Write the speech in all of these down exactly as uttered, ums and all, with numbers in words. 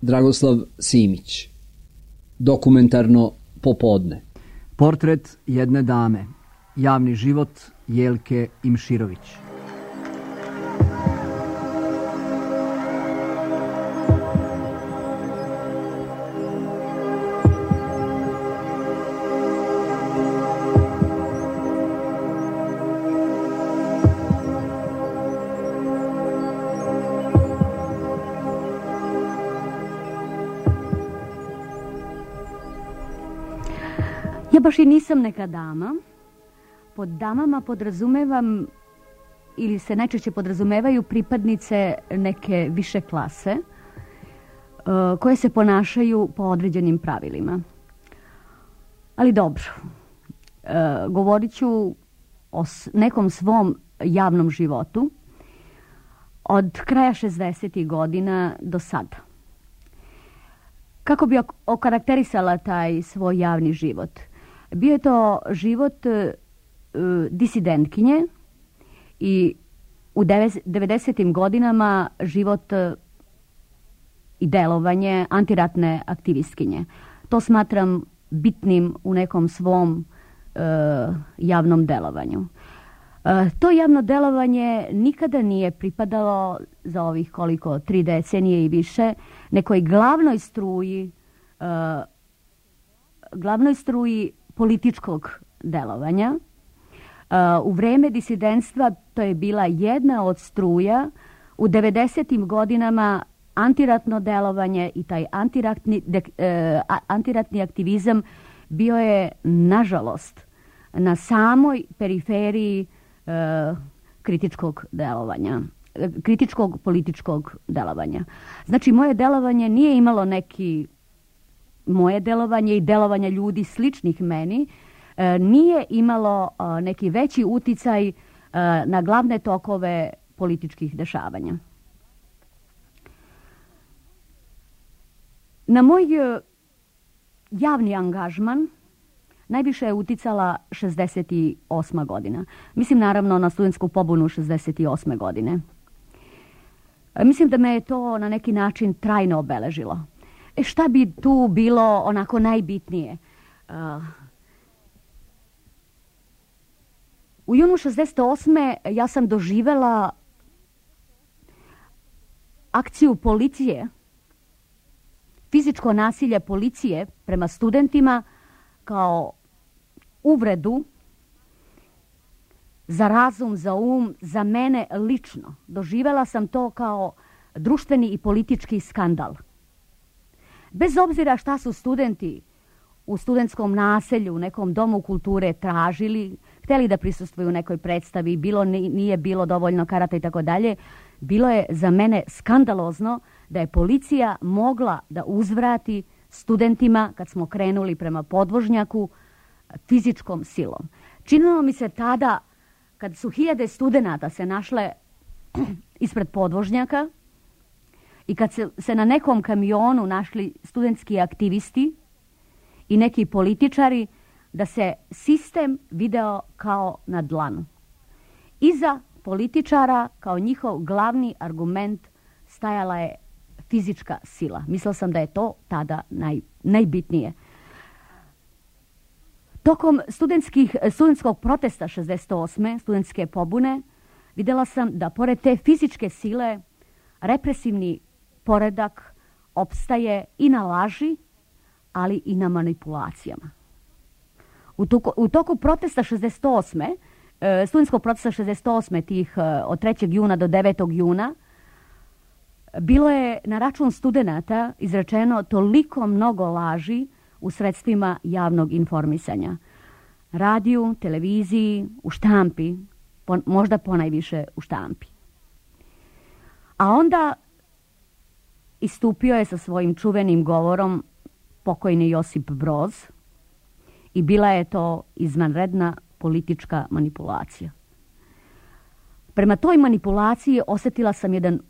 Dragoslav Simić. Dokumentarno popodne. Portret jedne dame. Javni život Jelke Imširović. Ja baš i nisam neka dama. Pod damama podrazumevam ili se najčešće podrazumevaju pripadnice neke više klase koje se ponašaju po određenim pravilima. Ali dobro, govorit ću o nekom svom javnom životu od kraja šezdesetih godina do sada. Kako bi okarakterisala taj svoj javni život? Bio je to život uh, disidentkinje i u devedesetim godinama život uh, i delovanje antiratne aktivistkinje. To smatram bitnim u nekom svom uh, javnom delovanju. Uh, to javno delovanje nikada nije pripadalo za ovih koliko tri decenije i više nekoj glavnoj struji uh, glavnoj struji političkog delovanja. U vreme disidentstva to je bila jedna od struja. U devedesetim godinama antiratno delovanje i taj antiratni, de, eh, antiratni aktivizam bio je, nažalost, na samoj periferiji eh, kritičkog delovanja, kritičkog političkog delovanja. Znači, moje delovanje nije imalo neki moje delovanje i delovanje ljudi sličnih meni e, nije imalo e, neki veći uticaj e, na glavne tokove političkih dešavanja. Na moj e, javni angažman najviše je uticala šezdeset osma godina. Mislim naravno na studentsku pobunu šezdeset osme godine. E, mislim da me je to na neki način trajno obeležilo. E šta bi tu bilo onako najbitnije? Uh, u junu šezdeset osme ja sam doživela akciju policije, fizičko nasilje policije prema studentima kao uvredu za razum, za um, za mene lično. Doživela sam to kao društveni i politički skandal. Bez obzira šta su studenti u studentskom naselju, u nekom domu kulture tražili, htjeli da prisustvuju nekoj predstavi, bilo nije bilo dovoljno karata i tako dalje, bilo je za mene skandalozno da je policija mogla da uzvrati studentima kad smo krenuli prema podvožnjaku fizičkom silom. Činilo mi se tada, kad su hiljade studenata se našle ispred podvožnjaka, i kad se, se na nekom kamionu našli studentski aktivisti i neki političari, da se sistem video kao na dlanu. Iza političara kao njihov glavni argument stajala je fizička sila. Mislila sam da je to tada naj, najbitnije. Tokom studentskih, studentskog protesta šezdeset osme studentske pobune, vidjela sam da pored te fizičke sile represivni poredak opstaje i na laži, ali i na manipulacijama. U toku, u toku protesta šezdeset osme, studentskog protesta šezdeset osme, tih od trećeg juna do devetog juna, bilo je na račun studenata izrečeno toliko mnogo laži u sredstvima javnog informisanja. Radiju, televiziji, u štampi, po, možda ponajviše u štampi. A onda istupio je sa svojim čuvenim govorom pokojni Josip Broz i bila je to izvanredna politička manipulacija. Prema toj manipulaciji osjetila sam jedan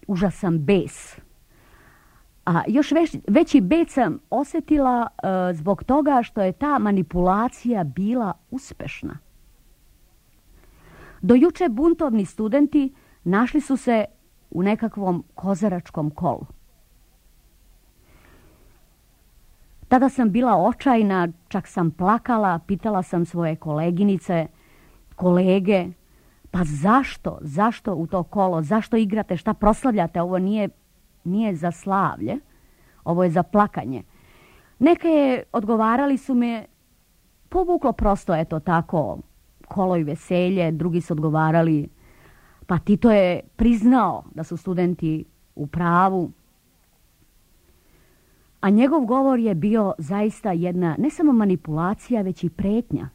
užasan bes. A još već, veći bes sam osjetila uh, zbog toga što je ta manipulacija bila uspešna. Do juče buntovni studenti našli su se u nekakvom kozaračkom kolu. Tada sam bila očajna, čak sam plakala, pitala sam svoje koleginice, kolege, pa zašto, zašto u to kolo, zašto igrate, šta proslavljate, ovo nije, nije za slavlje, ovo je za plakanje. Neke odgovarali su me, povuklo prosto, eto tako, kolo i veselje, drugi su odgovarali, pa Tito je priznao da su studenti u pravu. A njegov govor je bio zaista jedna, ne samo manipulacija, već i pretnja.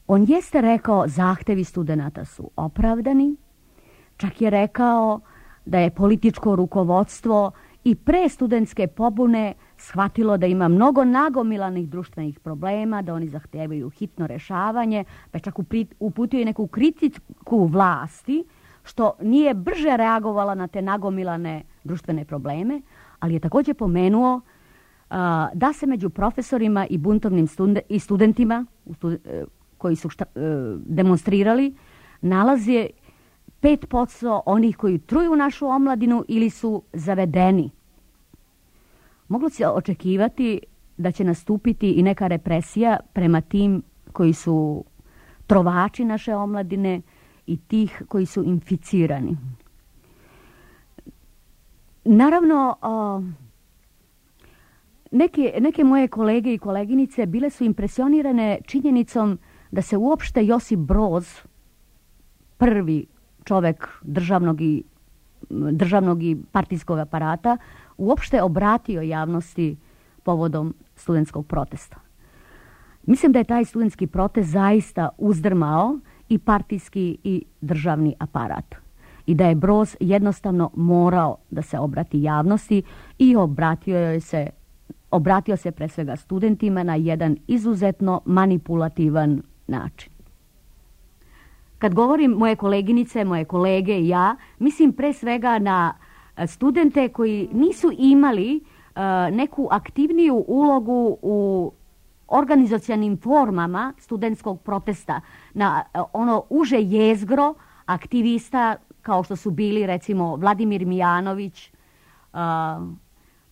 On jeste rekao zahtevi studenata su opravdani, čak je rekao da je političko rukovodstvo i pre studentske pobune shvatilo da ima mnogo nagomilanih društvenih problema, da oni zahtevaju hitno rešavanje, pa čak uputio i neku kritiku vlasti, što nije brže reagovala na te nagomilane društvene probleme, ali je također pomenuo uh, da se među profesorima i buntovnim studen- i studentima uh, koji su šta, uh, demonstrirali nalazi pet posto onih koji truju našu omladinu ili su zavedeni. Moglo se očekivati da će nastupiti i neka represija prema tim koji su trovači naše omladine i tih koji su inficirani. Naravno, neke, neke moje kolege i koleginice bile su impresionirane činjenicom da se uopšte Josip Broz, prvi čovek državnog i, državnog i partijskog aparata, uopšte obratio javnosti povodom studentskog protesta. Mislim da je taj studentski protest zaista uzdrmao i partijski i državni aparat. I da je Broz jednostavno morao da se obrati javnosti i obratio je se, obratio se pre svega studentima na jedan izuzetno manipulativan način. Kad govorim moje koleginice, moje kolege i ja, mislim pre svega na studente koji nisu imali uh, neku aktivniju ulogu u organizacionim formama studentskog protesta, na uh, ono uže jezgro aktivista kao što su bili recimo Vladimir Mijanović, uh,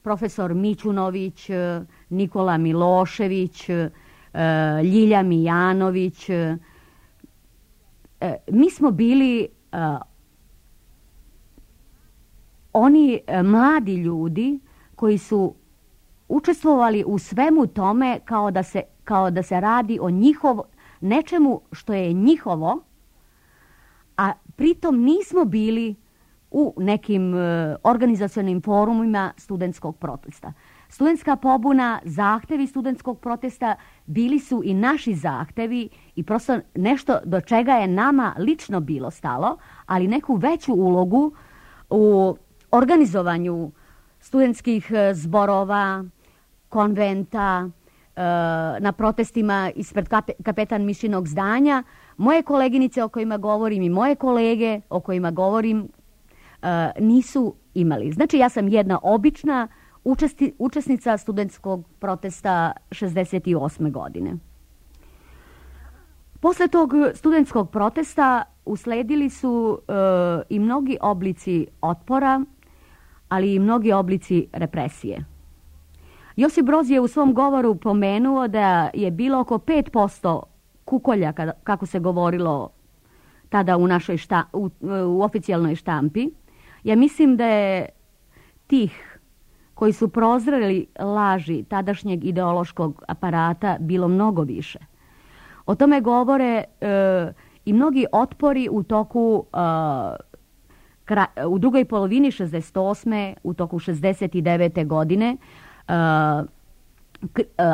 profesor Mićunović, uh, Nikola Milošević, uh, Ljilja Mijanović. Uh, mi smo bili uh, oni uh, mladi ljudi koji su učestvovali u svemu tome kao da se, kao da se radi o njihov, nečemu što je njihovo, a pritom nismo bili u nekim uh, organizacionim forumima studentskog protesta. Studentska pobuna, zahtevi studentskog protesta bili su i naši zahtevi i prosto nešto do čega je nama lično bilo stalo, ali neku veću ulogu u organizovanju studentskih zborova, konventa, uh, na protestima ispred kapetan Mišinog zdanja. Moje koleginice o kojima govorim i moje kolege o kojima govorim uh, nisu imali. Znači ja sam jedna obična učesti, učesnica studentskog protesta šezdeset osme godine. Posle tog studentskog protesta usledili su uh, i mnogi oblici otpora, ali i mnogi oblici represije. Josip Broz je u svom govoru pomenuo da je bilo oko pet posto kukolja, kako se govorilo tada u našoj šta, u, u oficijalnoj štampi. Ja mislim da je tih koji su prozreli laži tadašnjeg ideološkog aparata bilo mnogo više. O tome govore e, i mnogi otpori u toku e, kra, u drugoj polovini šezdeset osme u toku šezdeset devete godine. E,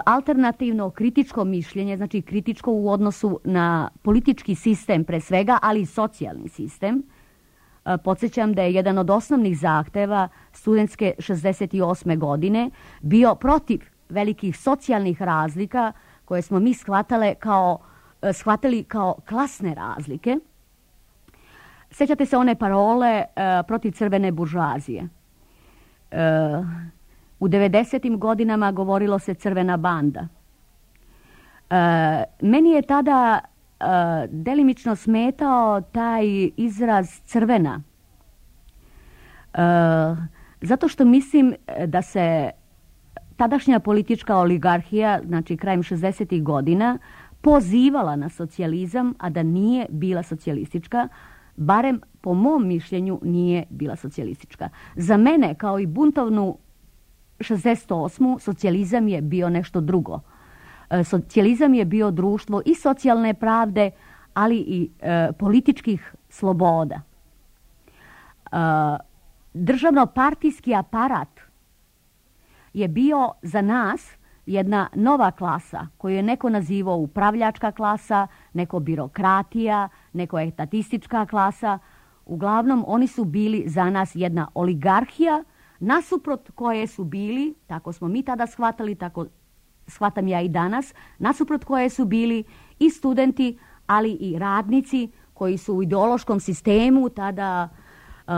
alternativno kritičko mišljenje, znači kritičko u odnosu na politički sistem pre svega, ali i socijalni sistem. Podsjećam da je jedan od osnovnih zahteva studentske šezdeset osme godine bio protiv velikih socijalnih razlika koje smo mi shvatale kao, shvatili kao klasne razlike. Sjećate se one parole uh, protiv crvene buržoazije. Uh, u devedesetim godinama govorilo se crvena banda. Uh, meni je tada uh, delimično smetao taj izraz crvena. Uh, zato što mislim da se tadašnja politička oligarhija, znači krajem šezdesetih godina, pozivala na socijalizam, a da nije bila socijalistička, barem po mom mišljenju nije bila socijalistička. Za mene, kao i buntovnu šezdeset osmu, socijalizam je bio nešto drugo. Socijalizam je bio društvo i socijalne pravde, ali i e, političkih sloboda. E, državno-partijski aparat je bio za nas jedna nova klasa koju je neko nazivao upravljačka klasa, neko birokratija, neko etatistička klasa. Uglavnom, oni su bili za nas jedna oligarhija, nasuprot koje su bili, tako smo mi tada shvatali, tako shvatam ja i danas, nasuprot koje su bili i studenti, ali i radnici koji su u ideološkom sistemu tada uh,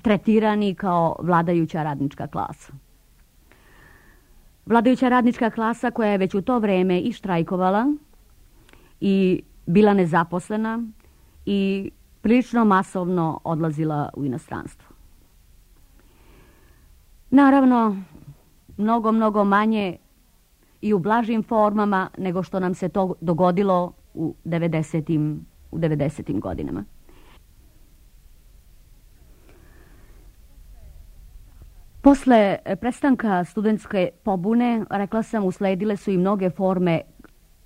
tretirani kao vladajuća radnička klasa. Vladajuća radnička klasa koja je već u to vreme i štrajkovala i bila nezaposlena i prilično masovno odlazila u inostranstvo. Naravno, mnogo, mnogo manje i u blažim formama nego što nam se to dogodilo u devedesetim, u devedesetim godinama. Posle prestanka studentske pobune, rekla sam, usledile su i mnoge forme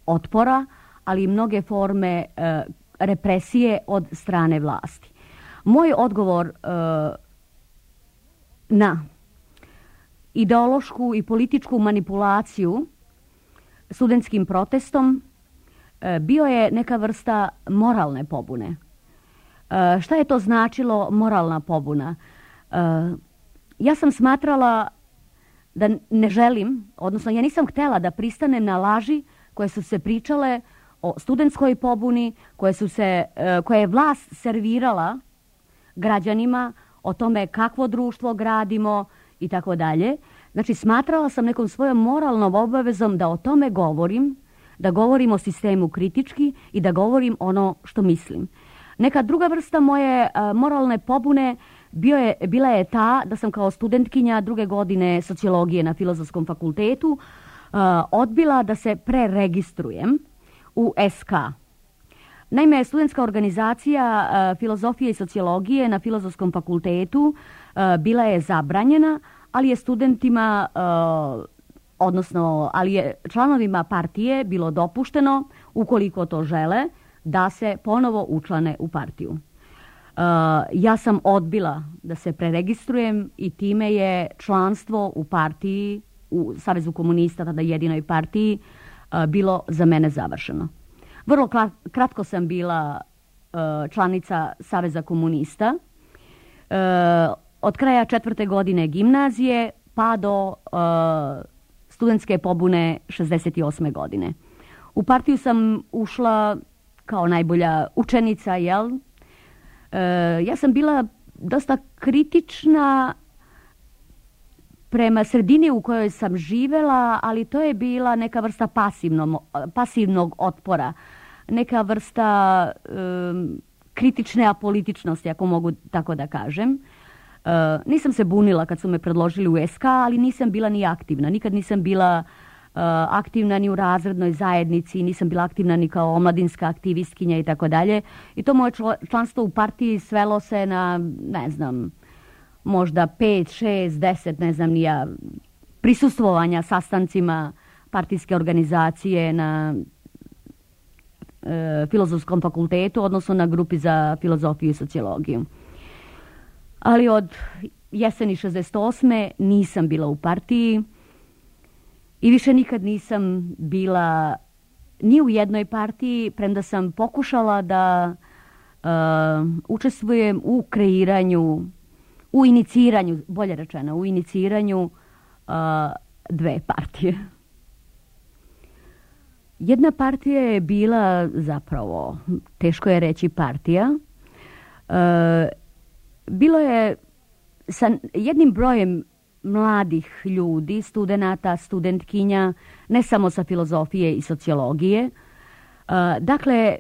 otpora, ali i mnoge forme e, represije od strane vlasti. Moj odgovor e, na ideološku i političku manipulaciju studentskim protestom e, bio je neka vrsta moralne pobune. E, šta je to značilo moralna pobuna? E, Ja sam smatrala da ne želim, odnosno ja nisam htjela da pristanem na laži koje su se pričale o studentskoj pobuni, koje, su se, koje je vlast servirala građanima o tome kakvo društvo gradimo i tako dalje. Znači, smatrala sam nekom svojom moralnom obavezom da o tome govorim, da govorim o sistemu kritički i da govorim ono što mislim. Neka druga vrsta moje uh, moralne pobune bio je, bila je ta da sam kao studentkinja druge godine sociologije na Filozofskom fakultetu uh, odbila da se preregistrujem u S K. Naime, studentska organizacija uh, filozofije i sociologije na Filozofskom fakultetu uh, bila je zabranjena, ali je studentima, uh, odnosno ali je članovima partije bilo dopušteno, ukoliko to žele, da se ponovo učlane u partiju. Uh, ja sam odbila da se preregistrujem i time je članstvo u partiji, u Savezu komunista, tada jedinoj partiji, uh, bilo za mene završeno. Vrlo kratko sam bila uh, članica Saveza komunista. Uh, od kraja četvrte godine gimnazije pa do uh, studentske pobune šezdeset osme godine. U partiju sam ušla kao najbolja učenica, jel? E, ja sam bila dosta kritična prema sredini u kojoj sam živela, ali to je bila neka vrsta pasivnog, pasivnog otpora, neka vrsta e, kritične apolitičnosti, ako mogu tako da kažem. E, nisam se bunila kad su me predložili u S K, ali nisam bila ni aktivna. Nikad nisam bila Uh, aktivna ni u razrednoj zajednici, nisam bila aktivna ni kao omladinska aktivistkinja i tako dalje. I to moje članstvo u partiji svelo se na, ne znam, možda pet, šest, deset, ne znam nija, prisustvovanja sastancima partijske organizacije na uh, Filozofskom fakultetu, odnosno na grupi za filozofiju i sociologiju. Ali od jeseni šezdeset osme nisam bila u partiji. I više nikad nisam bila ni u jednoj partiji, premda sam pokušala da uh, učestvujem u kreiranju, u iniciranju, bolje rečeno, u iniciranju uh, dve partije. Jedna partija je bila zapravo, teško je reći partija, uh, bilo je sa jednim brojem mladih ljudi, studenata, studentkinja, ne samo sa filozofije i sociologije. Dakle,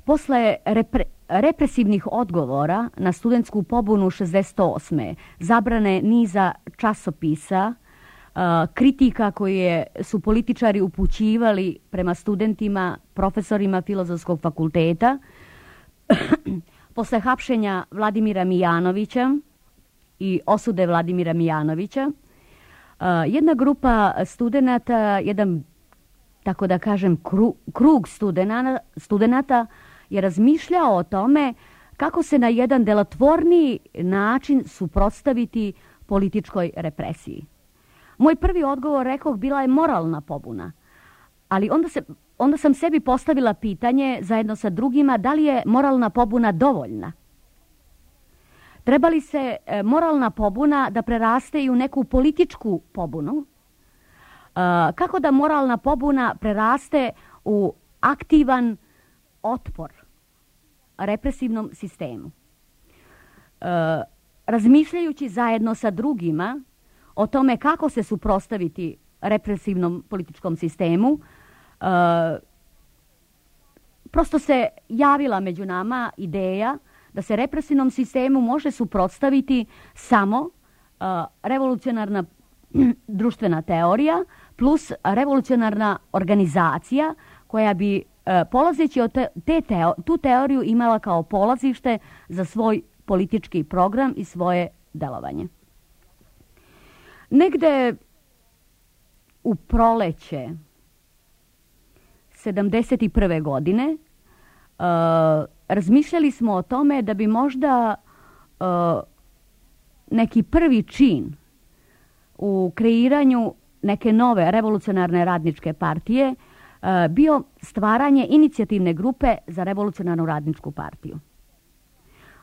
posle repre, represivnih odgovora na studentsku pobunu šezdeset osme, zabrane niza časopisa, kritika koje su političari upućivali prema studentima, profesorima Filozofskog fakulteta, posle hapšenja Vladimira Mijanovića i osude Vladimira Mijanovića, jedna grupa studenata, jedan, tako da kažem, krug studenata je razmišljao o tome kako se na jedan delotvorniji način suprotstaviti političkoj represiji. Moj prvi odgovor, rekoh, bila je moralna pobuna, ali onda, se, onda sam sebi postavila pitanje zajedno sa drugima da li je moralna pobuna dovoljna. Treba li se moralna pobuna da preraste i u neku političku pobunu? Kako da moralna pobuna preraste u aktivan otpor represivnom sistemu? Razmišljajući zajedno sa drugima o tome kako se suprotstaviti represivnom političkom sistemu, prosto se javila među nama ideja da se represivnom sistemu može suprotstaviti samo uh, revolucionarna društvena teorija plus revolucionarna organizacija koja bi uh, polazeći od te, te teo, tu teoriju imala kao polazište za svoj politički program i svoje delovanje. Negde u proleće sedamdeset prve godine uh, razmišljali smo o tome da bi možda uh, neki prvi čin u kreiranju neke nove revolucionarne radničke partije uh, bio stvaranje inicijativne grupe za revolucionarnu radničku partiju.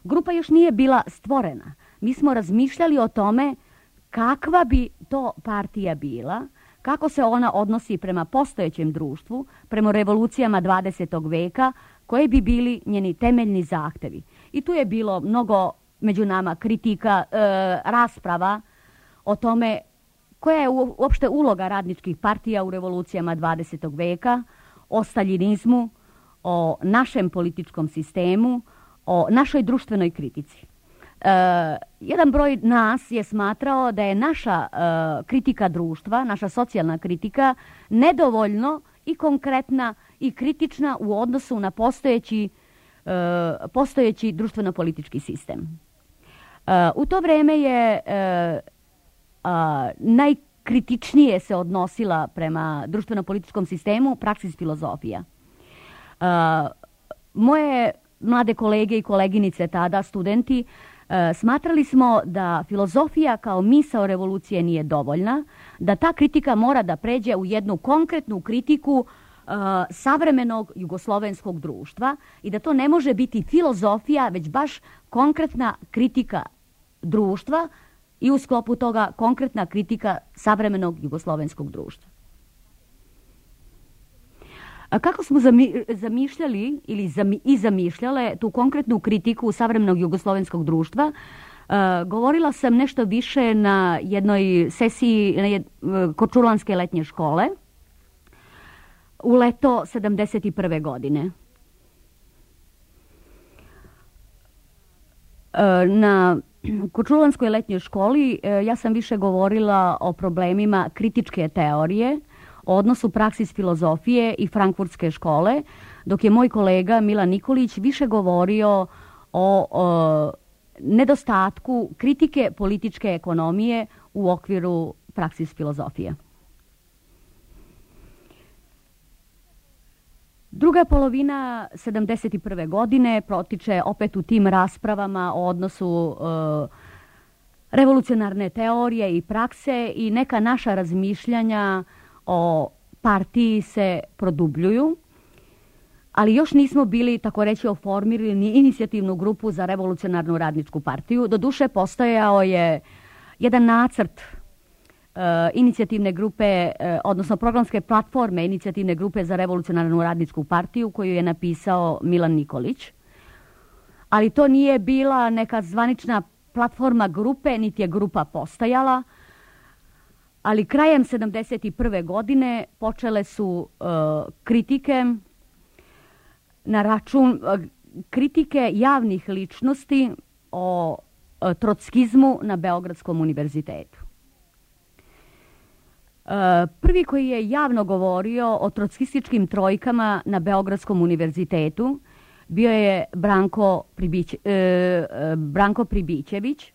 Grupa još nije bila stvorena. Mi smo razmišljali o tome kakva bi to partija bila, kako se ona odnosi prema postojećem društvu, prema revolucijama dvadesetog veka, koje bi bili njeni temeljni zahtevi. I tu je bilo mnogo među nama kritika, e, rasprava o tome koja je uopšte uloga radničkih partija u revolucijama dvadesetog veka, o staljinizmu, o našem političkom sistemu, o našoj društvenoj kritici. Uh, jedan broj nas je smatrao da je naša uh, kritika društva, naša socijalna kritika, nedovoljno i konkretna i kritična u odnosu na postojeći, uh, postojeći društveno-politički sistem. Uh, u to vreme je uh, uh, najkritičnije se odnosila prema društveno-političkom sistemu praksis filozofija. Uh, moje mlade kolege i koleginice tada, studenti, smatrali smo da filozofija kao misao revolucije nije dovoljna, da ta kritika mora da pređe u jednu konkretnu kritiku uh, savremenog jugoslovenskog društva i da to ne može biti filozofija, već baš konkretna kritika društva i u sklopu toga konkretna kritika savremenog jugoslovenskog društva. A kako smo zamišljali ili zami, i zamišljale tu konkretnu kritiku savremenog jugoslovenskog društva, uh, govorila sam nešto više na jednoj sesiji na jed, uh, Korčulanske letnje škole u leto sedamdeset prve godine. Uh, na Korčulanskoj letnjoj školi uh, ja sam više govorila o problemima kritičke teorije, o odnosu praksis filozofije i frankfurtske škole, dok je moj kolega Milan Nikolić više govorio o, o nedostatku kritike političke ekonomije u okviru praksis filozofije. Druga polovina sedamdeset prve godine protiče opet u tim raspravama o odnosu e, revolucionarne teorije i prakse i neka naša razmišljanja o partiji se produbljuju, ali još nismo bili, tako reći, oformirali ni inicijativnu grupu za revolucionarnu radničku partiju. Doduše, postojao je jedan nacrt uh, inicijativne grupe, uh, odnosno programske platforme inicijativne grupe za revolucionarnu radničku partiju koju je napisao Milan Nikolić, ali to nije bila neka zvanična platforma grupe, niti je grupa postojala. Ali krajem sedamdeset prve godine počele su uh, kritike na račun uh, kritike javnih ličnosti o uh, trotskizmu na Beogradskom univerzitetu. Prvi koji je javno govorio o trotskističkim trojkama na Beogradskom univerzitetu bio je Branko, Pribić, e, Branko Pribićević.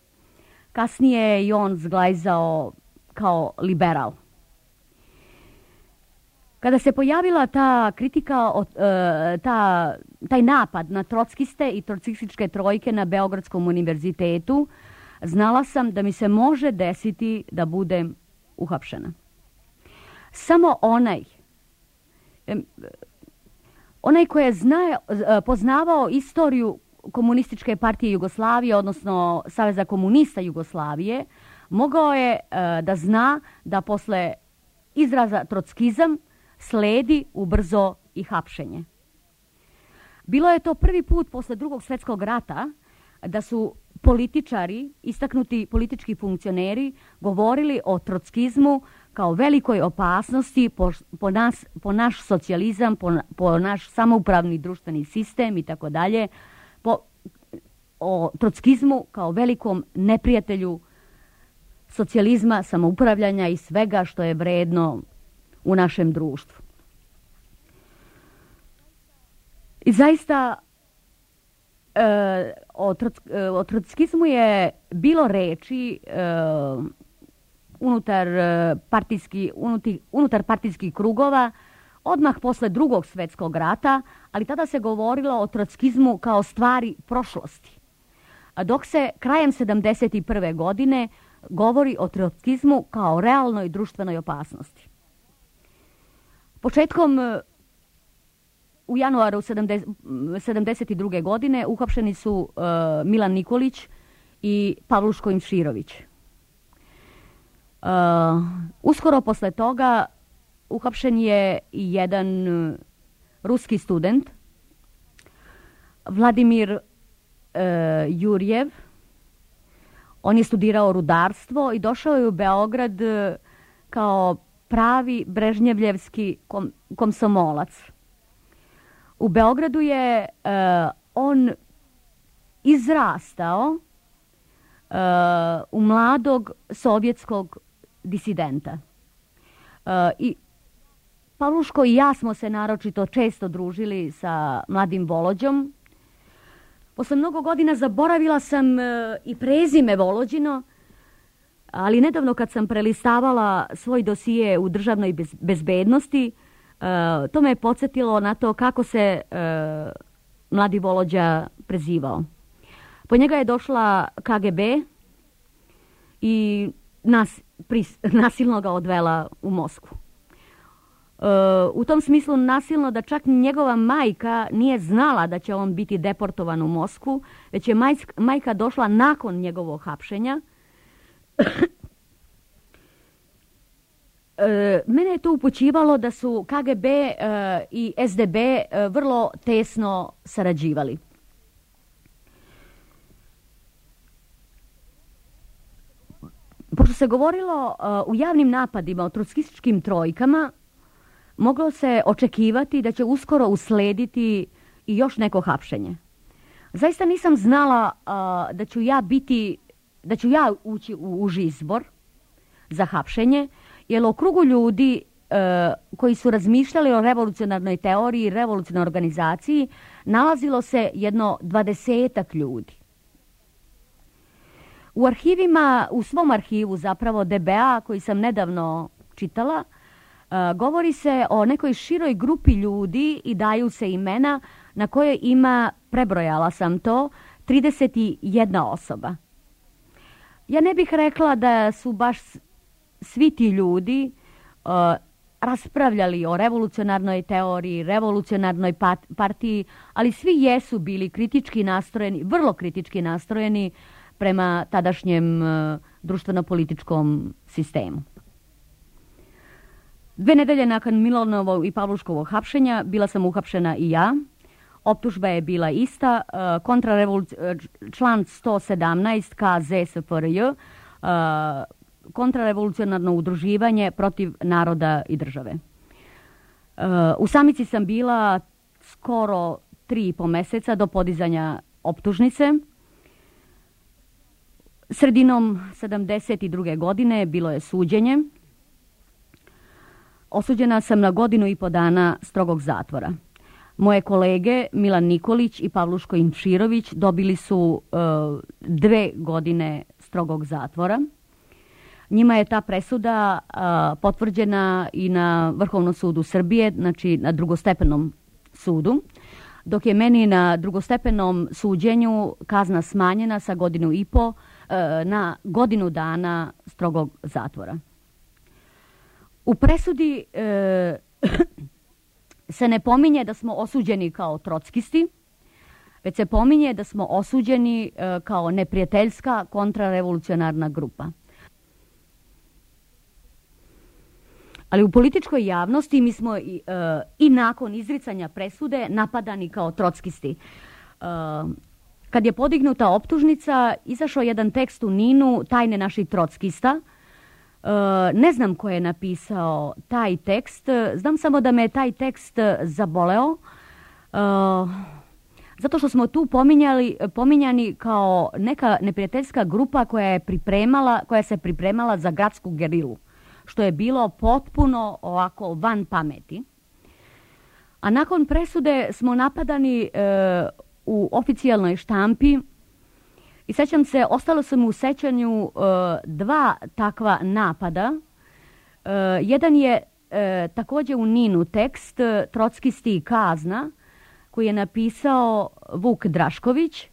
Kasnije je i on zglajzao kao liberal. Kada se pojavila ta kritika, e, ta, taj napad na trotskiste i trotskističke trojke na Beogradskom univerzitetu, znala sam da mi se može desiti da budem uhapšena. Samo onaj, onaj koji je zna, poznavao istoriju Komunističke partije Jugoslavije, odnosno Saveza komunista Jugoslavije, mogao je da zna da posle izraza trotskizam sledi ubrzo i hapšenje. Bilo je to prvi put posle Drugog svjetskog rata da su političari, istaknuti politički funkcioneri, govorili o trotskizmu kao velikoj opasnosti po, po, nas, po naš socijalizam, po, po naš samoupravni društveni sistem i tako dalje, po o trotskizmu kao velikom neprijatelju socijalizma, samoupravljanja i svega što je vredno u našem društvu. I zaista e, o, troc, e, o trotskizmu je bilo reči e, unutar, partijski, unutar, unutar partijskih krugova odmah posle Drugog svjetskog rata, ali tada se govorilo o trotskizmu kao stvari prošlosti. A dok se krajem sedamdeset prve godine govori o trotskizmu kao realnoj društvenoj opasnosti. Početkom u januaru sedamdeset druge godine uhapšeni su uh, Milan Nikolić i Pavluško Imširović. Uh, uskoro posle toga uhapšen je i jedan uh, ruski student, Vladimir uh, Jurjev. On je studirao rudarstvo i došao je u Beograd uh, kao pravi brežnjevljevski kom, komsomolac. U Beogradu je uh, on izrastao uh, u mladog sovjetskog disidenta. Uh, I Pavluško i ja smo se naročito često družili sa mladim Volođom. Posle mnogo godina zaboravila sam uh, i prezime Volođino, ali nedavno kad sam prelistavala svoj dosije u državnoj bez, bezbednosti, uh, to me je podsjetilo na to kako se uh, mladi Volođa prezivao. Po njega je došla K G B i nas, pris, nasilno ga odvela u Moskvu. Uh, u tom smislu nasilno da čak njegova majka nije znala da će on biti deportovan u Moskvu, već je majk, majka došla nakon njegovog hapšenja. E, mene je to upućivalo da su K G B e, i S D B e, vrlo tesno sarađivali. Pošto se govorilo e, u javnim napadima o trotskističkim trojkama, moglo se očekivati da će uskoro uslediti i još neko hapšenje. Zaista nisam znala e, da ću ja biti da ću ja ući u uži izbor za hapšenje, jer u krugu ljudi e, koji su razmišljali o revolucionarnoj teoriji i revolucionarnoj organizaciji nalazilo se jedno dvadesetak ljudi. U arhivima, u svom arhivu zapravo D B A koji sam nedavno čitala, e, govori se o nekoj široj grupi ljudi i daju se imena na koje ima, prebrojala sam to, trideset jedna osoba. Ja ne bih rekla da su baš svi ti ljudi uh, raspravljali o revolucionarnoj teoriji, revolucionarnoj pat, partiji, ali svi jesu bili kritički nastrojeni, vrlo kritički nastrojeni prema tadašnjem uh, društveno-političkom sistemu. Dve nedelje nakon Milanovog i Pavluškovog hapšenja bila sam uhapšena i ja. Optužba je bila ista, uh, kontrarevoluc- član sto sedamnaest K Z S F R J, uh, kontrarevolucionarno udruživanje protiv naroda i države. Uh, u samici sam bila skoro tri i po meseca do podizanja optužnice. Sredinom sedamdeset druge godine bilo je suđenje. Osuđena sam na godinu i po dana strogog zatvora. Moje kolege Milan Nikolić i Pavluško Imširović dobili su e, dve godine strogog zatvora. Njima je ta presuda a, potvrđena i na Vrhovnom sudu Srbije, znači na drugostepenom sudu, dok je meni na drugostepenom suđenju kazna smanjena sa godinu i po a, na godinu dana strogog zatvora. U presudi e, se ne pominje da smo osuđeni kao trockisti, već se pominje da smo osuđeni e, kao neprijateljska kontrarevolucionarna grupa. Ali u političkoj javnosti mi smo i, e, i nakon izricanja presude napadani kao trockisti. E, kad je podignuta optužnica, izašao jedan tekst u Ninu, Tajne naših trockista. E, ne znam ko je napisao taj tekst, znam samo da me je taj tekst zaboleo, e, zato što smo tu pominjali, pominjani kao neka neprijateljska grupa koja je pripremala, koja se pripremala za gradsku gerilu, što je bilo potpuno ovako van pameti. A nakon presude smo napadani e, u oficijalnoj štampi i sećam se, ostalo sam u sećanju e, dva takva napada. E, jedan je e, također u Ninu tekst Trockisti i kazna, koji je napisao Vuk Drašković,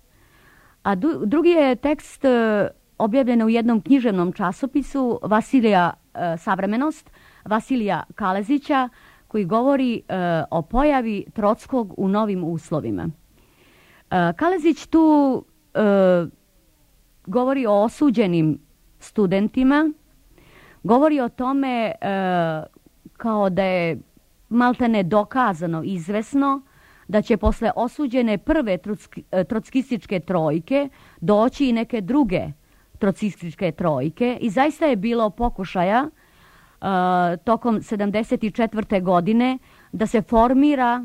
a du, drugi je tekst e, objavljen u jednom književnom časopisu Vasilija e, Savremenost, Vasilija Kalezića, koji govori e, o pojavi Trockog u novim uslovima. E, Kalezić tu e, govori o osuđenim studentima, govori o tome e, kao da je maltene dokazano, izvesno, da će posle osuđene prve trocki, trockističke trojke doći i neke druge trockističke trojke i zaista je bilo pokušaja uh, tokom sedamdeset četvrte godine da se formira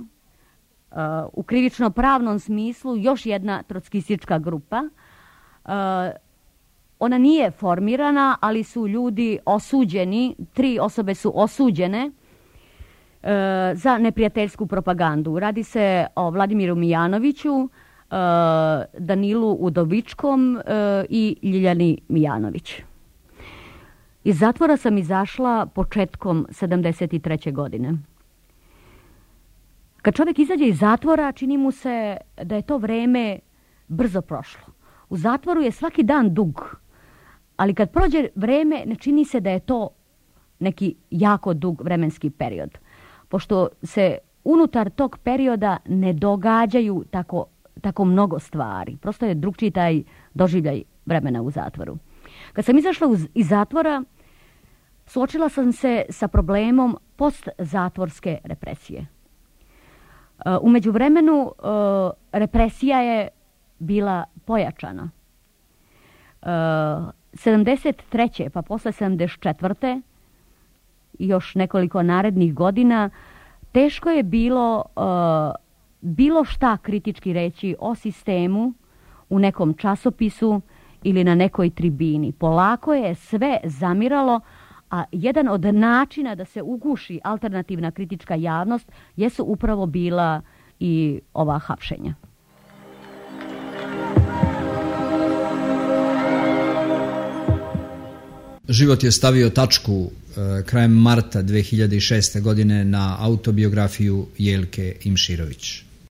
uh, u krivično-pravnom smislu još jedna trockistička grupa. Uh, ona nije formirana, ali su ljudi osuđeni, tri osobe su osuđene uh, za neprijateljsku propagandu. Radi se o Vladimiru Mijanoviću, Danilu Udovičkom i Ljiljani Mijanović. Iz zatvora sam izašla početkom sedamdeset treće godine. Kad čovjek izađe iz zatvora, čini mu se da je to vreme brzo prošlo. U zatvoru je svaki dan dug, ali kad prođe vreme, ne čini se da je to neki jako dug vremenski period, pošto se unutar tog perioda ne događaju tako tako mnogo stvari. Prosto je drugčiji taj doživljaj vremena u zatvoru. Kad sam izašla iz zatvora, suočila sam se sa problemom postzatvorske represije. U međuvremenu represija je bila pojačana. sedamdeset treće pa posle sedamdeset četvrte i još nekoliko narednih godina teško je bilo bilo šta kritički reći o sistemu u nekom časopisu ili na nekoj tribini. Polako je sve zamiralo, a jedan od načina da se uguši alternativna kritička javnost jesu upravo bila i ova hapšenja. Život je stavio tačku e, krajem marta dve hiljade šeste. godine na autobiografiju Jelke Imširović.